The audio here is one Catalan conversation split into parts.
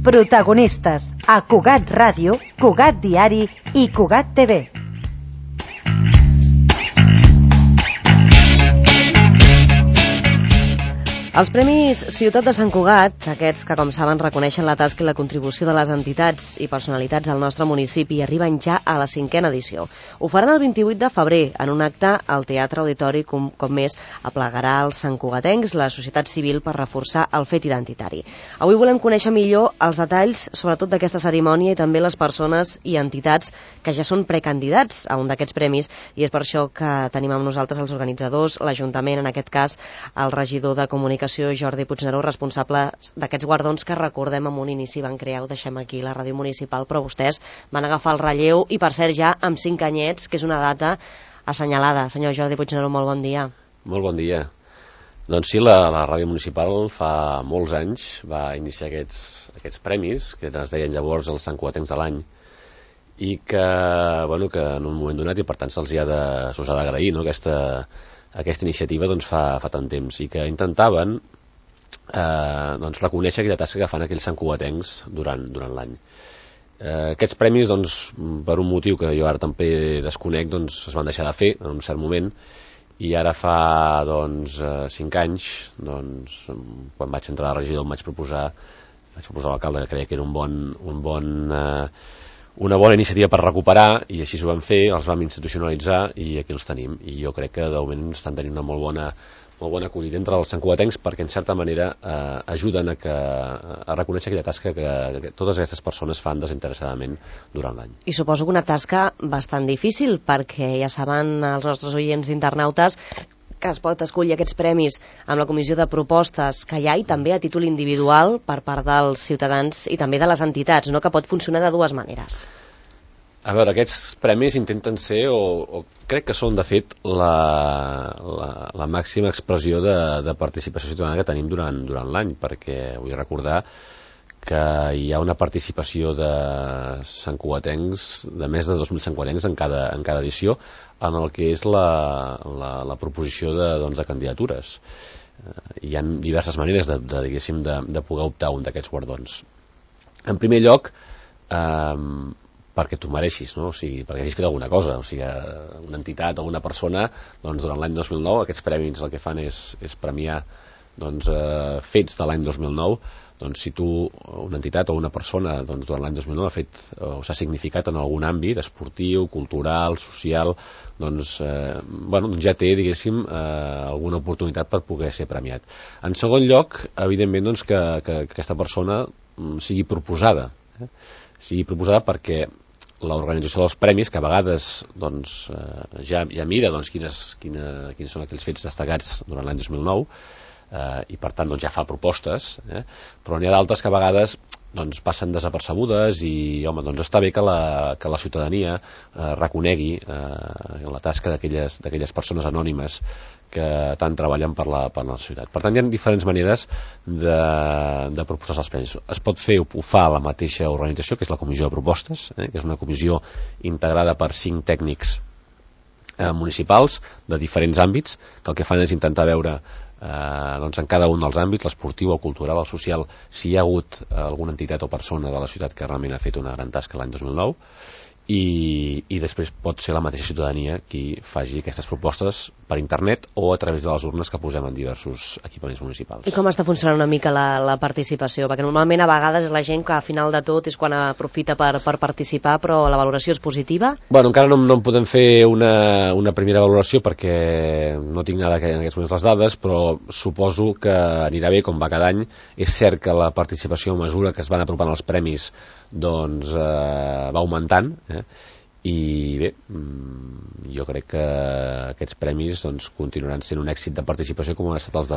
Protagonistes a Cugat Ràdio, Cugat Diari i Cugat TV. Els Premis Ciutat de Sant Cugat, aquests que, com saben, reconeixen la tasca i la contribució de les entitats i personalitats al nostre municipi, arriben ja a la 5a edició. Ho faran el 28 de febrer, en un acte al Teatre Auditori, com més aplegarà els santcugatencs, la societat civil, per reforçar el fet identitari. Avui volem conèixer millor els detalls, sobretot d'aquesta cerimònia, i també les persones i entitats que ja són precandidats a un d'aquests premis, i és per això que tenim amb nosaltres els organitzadors, l'Ajuntament, en aquest cas, el regidor de Comunicació, Jordi Puigneró, responsable d'aquests guardons que, recordem, en un inici van crear, ho deixem aquí, la ràdio municipal, però vostès van agafar el relleu i, per cert, ja amb 5 anyets, que és una data assenyalada. Senyor Jordi Puigneró, molt bon dia. Molt bon dia. Doncs sí, la ràdio municipal fa molts anys va iniciar aquests premis, que es deien llavors els santcugatencs de l'any, i que en un moment donat, i per tant se'ls ha d'agrair, no? Aquesta iniciativa fa tant temps, i que intentaven reconèixer aquella tasca que fan aquells santcugatencs durant l'any. Aquests premis, per un motiu que jo ara també desconec, es van deixar de fer en un cert moment, i ara fa 5 anys, quan vaig entrar a la regidor, vaig proposar a l'alcalde, que creia que era una bona iniciativa per recuperar, i així ho vam fer, els vam institucionalitzar i aquí els tenim, i jo crec que de moment estan tenint una molt bona acollida entre els santcugatencs, perquè en certa manera ajuden a reconèixer aquella tasca que totes aquestes persones fan desinteressadament durant l'any. I suposo que una tasca bastant difícil, perquè ja saben els nostres oients internautes que es pot escollir aquests premis amb la comissió de propostes que hi ha, i també a títol individual per part dels ciutadans i també de les entitats, no? Que pot funcionar de dues maneres. A veure, aquests premis intenten ser, o crec que són de fet, la màxima expressió de participació ciutadana que tenim durant l'any, perquè vull recordar que hi ha una participació de santcugatencs, de més de 2.000 santcugatencs en cada edició, en el que és la proposició de candidatures. Hi ha diverses maneres de poder optar a un d'aquests guardons. En primer lloc, perquè tu mereixis, no? O sigui, perquè hagis fet alguna cosa. O sigui, una entitat o una persona, durant l'any 2009, aquests premis el que fan és premiar fets de l'any 2009. Si tu, una entitat o una persona, durant l'any 2009 ha fet o s'ha significat en algun àmbit esportiu, cultural, social, ja té, diguéssim, alguna oportunitat per poder ser premiat. En segon lloc, evidentment, que aquesta persona sigui proposada. Sigui proposada perquè l'organització dels premis, que a vegades ja mira quins són aquells fets destacats durant l'any 2009, i per tant ja fa propostes, però n'hi ha d'altres que a vegades passen desapercebudes, i està bé que la ciutadania reconegui la tasca d'aquelles persones anònimes que tant treballen per la societat. Per tant, hi ha diferents maneres de proposar els premis. Es pot fer, ho fa la mateixa organització, que és la comissió de propostes, que és una comissió integrada per 5 tècnics municipals de diferents àmbits, que el que fan és intentar veure en cada un dels àmbits, l'esportiu, el cultural, el social, si hi ha hagut alguna entitat o persona de la ciutat que realment ha fet una gran tasca l'any 2009, i després pot ser la mateixa ciutadania qui faci aquestes propostes per internet o a través de les urnes que posem en diversos equipaments municipals. I com està funcionant una mica la participació? Perquè normalment a vegades és la gent que a final de tot és quan aprofita per participar, però la valoració és positiva? Bueno, encara no en podem fer una primera valoració perquè no tinc ara en aquests moments les dades, però suposo que anirà bé com va cada any. És cert que la participació a mesura que es van apropant els premis va augmentant, i bé, jo crec que aquests premis continuaran sent un èxit de participació com han estat les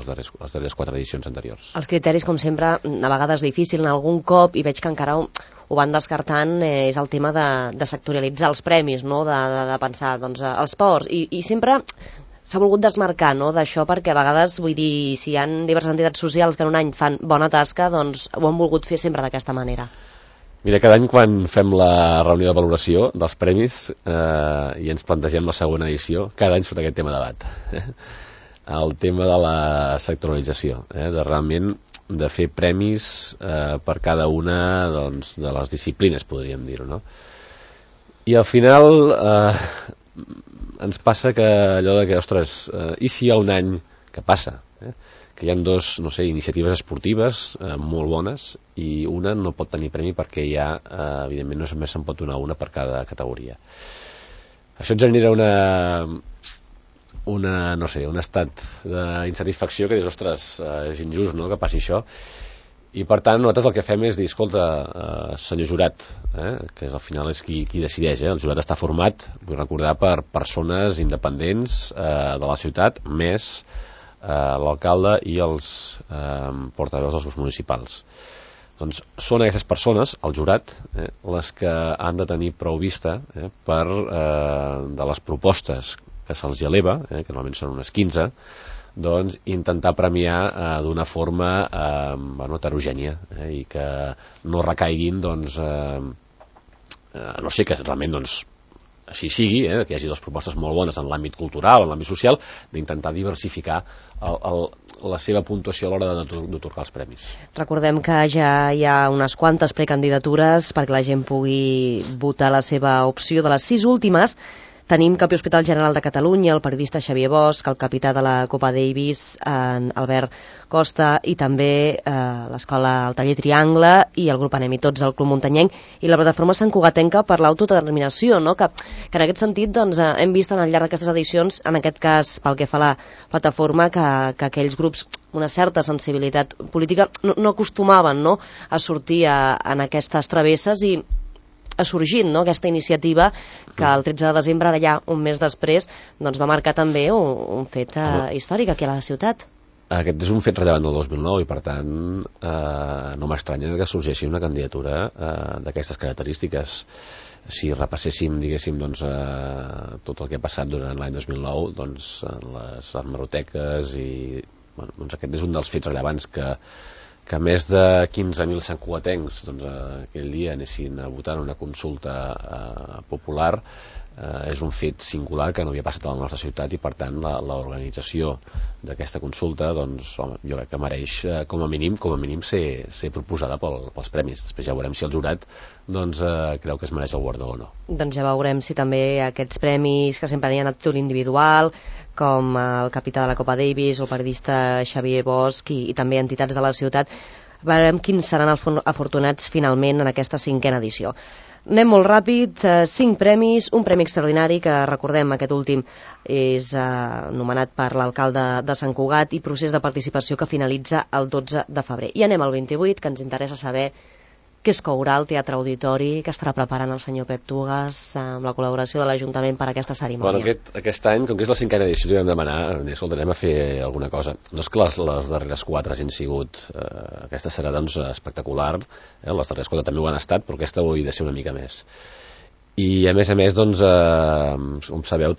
darreres 4 edicions anteriors. Els criteris, com sempre, a vegades difícil, en algun cop, i veig que encara ho van descartant, és el tema de sectorialitzar els premis, no? De pensar, els ports, i sempre s'ha volgut desmarcar, no?, d'això, perquè a vegades, vull dir, si hi ha diverses entitats socials que en un any fan bona tasca, ho han volgut fer sempre d'aquesta manera. Mira, cada any quan fem la reunió de valoració dels premis i ens plantegem la segona edició, cada any surt aquest tema de debat. El tema de la sectorialització, de realment de fer premis per cada una doncs, de les disciplines, podríem dir-ho, no? I al final ens passa que allò de que, ostres, i si hi ha un any que passa, que hi ha dos, no sé, iniciatives esportives molt bones i una no pot tenir premi perquè ja, evidentment, només se'n pot donar una per cada categoria. Això ens genera no sé, un estat d'insatisfacció que dius, ostres, és injust, no?, que passi això. I per tant nosaltres el que fem és dir, escolta, senyor jurat, que al final és qui decideix, el jurat està format, vull recordar, per persones independents de la ciutat, més l'alcalde i els portaveus dels grups municipals. Doncs són aquestes persones, el jurat, les que han de tenir prou vista per de les propostes que se'ls eleva, que normalment són unes 15, doncs intentar premiar d'una forma heterogènia i que no recaiguin, doncs, no sé, que realment doncs, així sigui, que hi hagi dues propostes molt bones en l'àmbit cultural, en l'àmbit social, d'intentar diversificar la seva puntuació a l'hora d'atorgar els premis. Recordem que ja hi ha unes quantes precandidatures perquè la gent pugui votar la seva opció. De les 6 últimes tenim Campi Hospital General de Catalunya, el periodista Xavier Bosch, el capità de la Copa Davis, Albert Costa, i també l'escola El Taller Triangle i el grup Anem i Tots, el Club Muntanyenc, i la plataforma Sant Cugatenca per l'autodeterminació, no? que en aquest sentit doncs, hem vist al llarg d'aquestes edicions, en aquest cas pel que fa a la plataforma, que aquells grups una certa sensibilitat política no acostumaven, no?, a sortir en aquestes travesses, i ha sorgit, no?, aquesta iniciativa que el 13 de desembre, ara ja un mes després, doncs va marcar també un fet històric aquí a la ciutat. Aquest és un fet rellevant del 2009 i per tant no m'estranya que sorgeixi una candidatura d'aquestes característiques. Si repasséssim, diguéssim, doncs, tot el que ha passat durant l'any 2009, doncs, en les hemeroteques, i bueno, doncs aquest és un dels fets rellevants que més de 15.000 santcugatencs doncs, aquell dia anessin a votar en una consulta popular. És un fet singular que no havia passat a la nostra ciutat i per tant l'organització d'aquesta consulta, doncs, home, jo crec que mereix com a mínim ser proposada pels premis. Després ja veurem si el jurat doncs, creu que es mereix el guardó o no. Doncs ja veurem si també aquests premis que sempre hi ha a títol individual, com el capità de la Copa Davis o el periodista Xavier Bosch i també entitats de la ciutat, veurem quins seran els afortunats finalment en aquesta 5a edició. Anem molt ràpid, 5 premis, un premi extraordinari que recordem, aquest últim és nomenat per l'alcalde de Sant Cugat i procés de participació que finalitza el 12 de febrer. I anem al 28, que ens interessa saber què es courà al Teatre Auditori, que estarà preparant el senyor Pep Tugas amb la col·laboració de l'Ajuntament per a aquesta cerimònia. Bueno, aquest any, com que és la 5a edició, li vam demanar, escolta, anem a fer alguna cosa. No és que les darreres 4 hagin sigut, aquesta serà doncs espectacular, les darreres 4 també ho han estat, però aquesta ho ha de ser una mica més. I a més, doncs, com sabeu,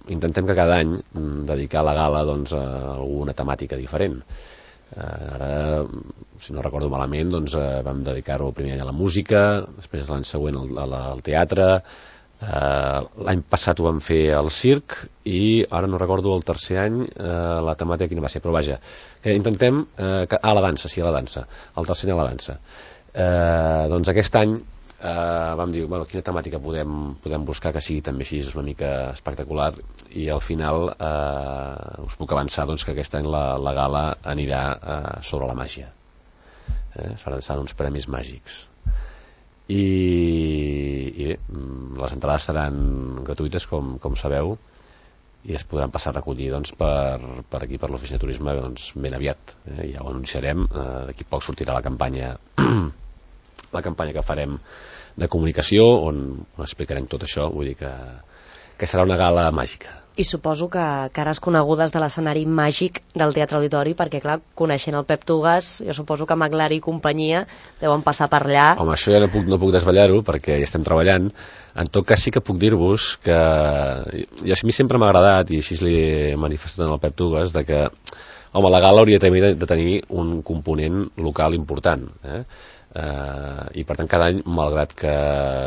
intentem que cada any dedicar la gala doncs, a alguna temàtica diferent. Ara, si no recordo malament, doncs, vam dedicar-ho primer a la música, després l'any següent al teatre, l'any passat ho vam fer al circ i ara no recordo el tercer any la temàtica quina va ser, però vaja, que intentem la dansa, el tercer any a la dansa. Doncs aquest any vam dir, bueno, quina temàtica podem buscar que sigui també així una mica espectacular, i al final us puc avançar doncs, que aquest any la gala anirà sobre la màgia. Seran uns premis màgics i bé, les entrades seran gratuïtes com sabeu, i es podran passar a recollir doncs, per aquí, per l'oficina de turisme, doncs, ben aviat. Ja ho anunciarem, d'aquí poc sortirà la campanya que farem de comunicació, on explicarem tot això. Vull dir que serà una gala màgica. I suposo que cares conegudes de l'escenari màgic del Teatre Auditori, perquè clar, coneixent el Pep Tugas, jo suposo que Maglari i companyia deuen passar per allà. Home, això ja no puc desvetllar-ho perquè hi estem treballant. En tot cas sí que puc dir-vos que a mi sempre m'ha agradat, i així li he manifestat al Pep Tugas, de que home, la gala hauria de tenir un component local important. i per tant cada any, malgrat que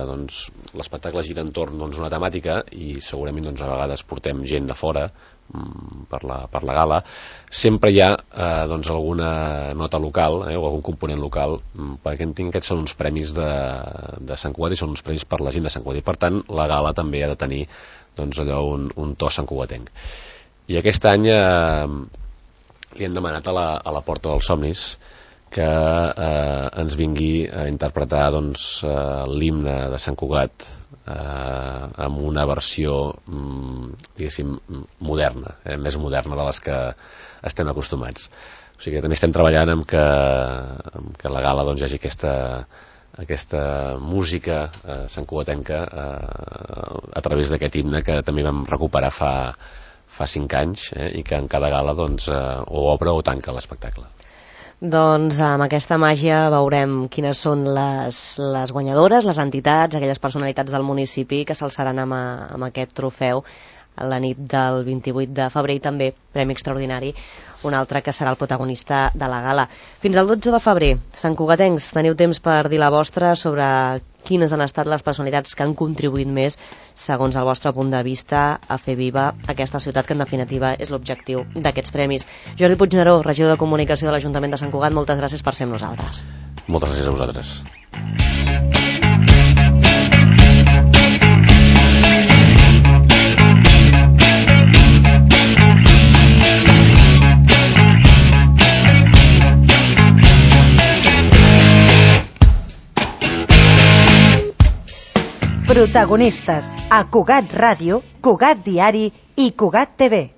doncs, l'espectacle gira entorn d'una temàtica i segurament a vegades portem gent de fora per la gala, sempre hi ha alguna nota local o algun component local, perquè entenc que aquests són uns premis de Sant Cugat i són uns premis per la gent de Sant Cugat, i per tant la gala també ha de tenir un to santcugatenc. I aquest any li hem demanat a la Porta dels Somnis que ens vingui a interpretar l'himne de Sant Cugat amb una versió diguéssim moderna, més moderna de les que estem acostumats. O sigui que també estem treballant amb que la gala hi hagi aquesta música santcugatenca a través d'aquest himne que també vam recuperar fa 5 anys i que en cada gala o obre o tanca l'espectacle. Doncs amb aquesta màgia veurem quines són les guanyadores, les entitats, aquelles personalitats del municipi que s'alçaran amb aquest trofeu la nit del 28 de febrer, i també Premi Extraordinari, un altre que serà el protagonista de la gala. Fins al 12 de febrer, santcugatencs, teniu temps per dir la vostra sobre quines han estat les personalitats que han contribuït més, segons el vostre punt de vista, a fer viva aquesta ciutat, que en definitiva és l'objectiu d'aquests premis. Jordi Puigneró, regidor de Comunicació de l'Ajuntament de Sant Cugat, moltes gràcies per ser amb nosaltres. Moltes gràcies a vosaltres. Protagonistes a Cugat Ràdio, Cugat Diari i Cugat TV.